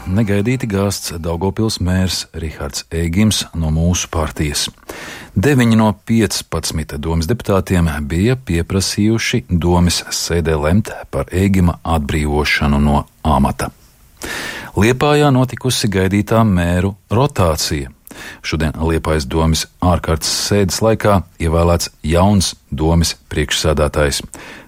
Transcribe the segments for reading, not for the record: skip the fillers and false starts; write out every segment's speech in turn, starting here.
negaidīti gāsts Daugavpils mērs Rihards Ēgims no mūsu partijas. 9 no 15 domes deputātiem bija pieprasījuši domes sēdē lemt par Ēgima atbrīvošanu no amata. Liepājā notikusi gaidītā mēru rotācija. Šodien Liepājas domes ārkārtas sēdes laikā ievēlēts jauns domes priekšsēdētājs.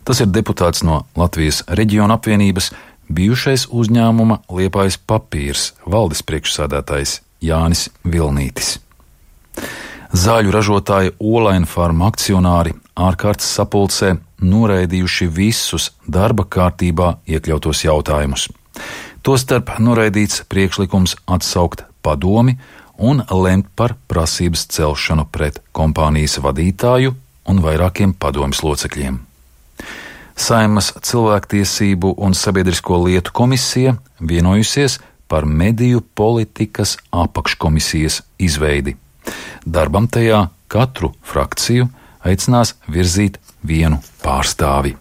Tas ir deputāts no Latvijas reģiona apvienības, bijušais uzņēmuma Liepājas papīrs valdes priekšsēdētājs Jānis Vilnītis. Zāļu ražotāja Olaina farma akcionāri ārkārtas sapulcē noraidījuši visus darba kārtībā iekļautos jautājumus. Tostarp noraidīts priekšlikums atsaukt padomi un lemt par prasības celšanu pret kompānijas vadītāju un vairākiem padomes locekļiem. Saeimas cilvēktiesību un sabiedrisko lietu komisija vienojusies par mediju politikas apakškomisijas izveidi. Darbam tajā katru frakciju aicinās virzīt vienu pārstāvi.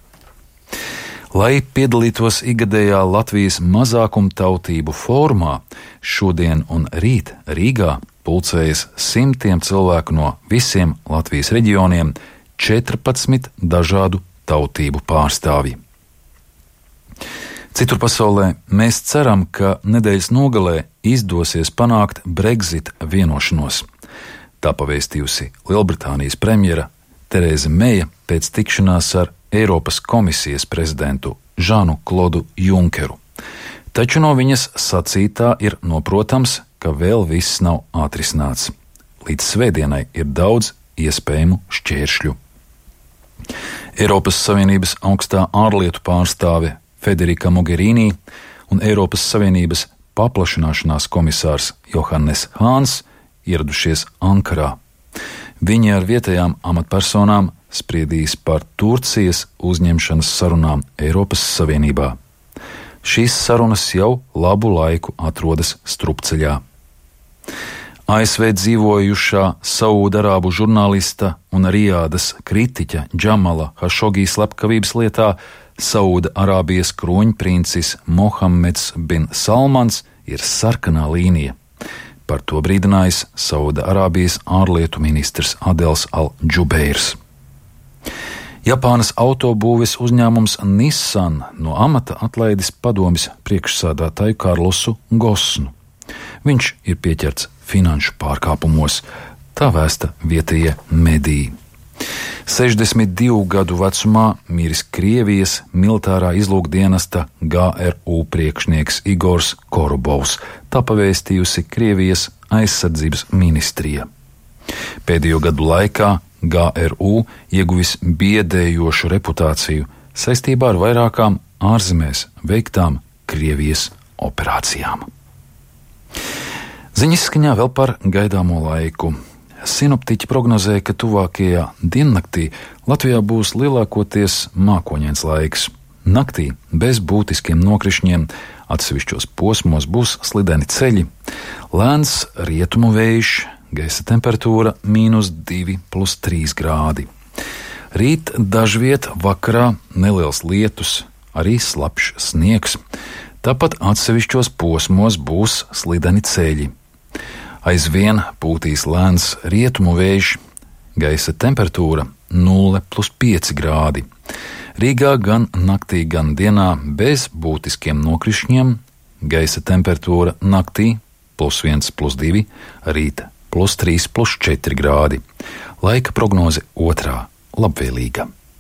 Lai piedalītos ikgadējā Latvijas mazākumtautību fórumā, šodien un rīt Rīgā pulcējas simtiem cilvēku no visiem Latvijas reģioniem, 14 dažādu tautību pārstāvji. Citur pasaulē mēs ceram, ka nedēļas nogalē izdosies panākt Brexit vienošanos. Tā pavēstījusi Lielbritānijas premjera Terēza Meija pēc tikšanās ar Eiropas komisijas prezidentu Žanu Klodu Junkeru. Taču no viņas sacītā ir noprotams, ka vēl viss nav atrisināts. Līdz svētdienai ir daudz iespējamu šķēršļu. Eiropas Savienības augstā ārlietu pārstāve Federika Mogherini un Eiropas Savienības paplašināšanās komisārs Johannes Hāns ieradušies Ankarā. Viņi ar vietējām amatpersonām spriedīs par Turcijas uzņemšanas sarunām Eiropas Savienībā. Šīs sarunas jau labu laiku atrodas strupceļā. ASV dzīvojušā Saudarābu žurnālista un Rijādas kritiķa Džamala Hašogī slepkavības lietā Saudarābijas kroņprincis Mohammeds bin Salmans ir sarkanā līnija. Par to brīdinājis Saudarābijas ārlietu ministrs Adels Al-Džubeirs. Japānas autobūves uzņēmums Nissan no amata atlaidis padomes priekšsēdētāju Karlosu Gosnu. Viņš ir pieķerts finanšu pārkāpumos, tā vēsta vietējie mediji. 62 gadu vecumā miris Krievijas militārā izlūkdienesta GRU priekšnieks Igors Korobovs, tā pavēstījusi Krievijas aizsardzības ministrija. Pēdējo gadu laikā GRU ieguvis biedējošu reputāciju saistībā ar vairākām ārzemēs veiktām Krievijas operācijām. Ziņas skaņā vēl par gaidāmo laiku. Sinoptiķi prognozē, ka tuvākajā diennaktī Latvijā būs lielākoties mākoņains laiks. Naktī bez būtiskiem nokrišņiem, atsevišķos posmos būs slideni ceļi, lēns rietumu vējš, gaisa temperatūra -2 + 3 grādi. Rīt dažviet vakarā neliels lietus, arī slapjš sniegs, tāpat atsevišķos posmos būs slideni ceļi. Aizvien pūtīs lēns rietumu vējš, gaisa temperatūra 0 + 5 grādi. Rīgā gan naktī, gan dienā bez būtiskiem nokrišņiem, gaisa temperatūra naktī +1 + 2, rīta +3 + 4 grādi. Laika prognoze otrā labvēlīga.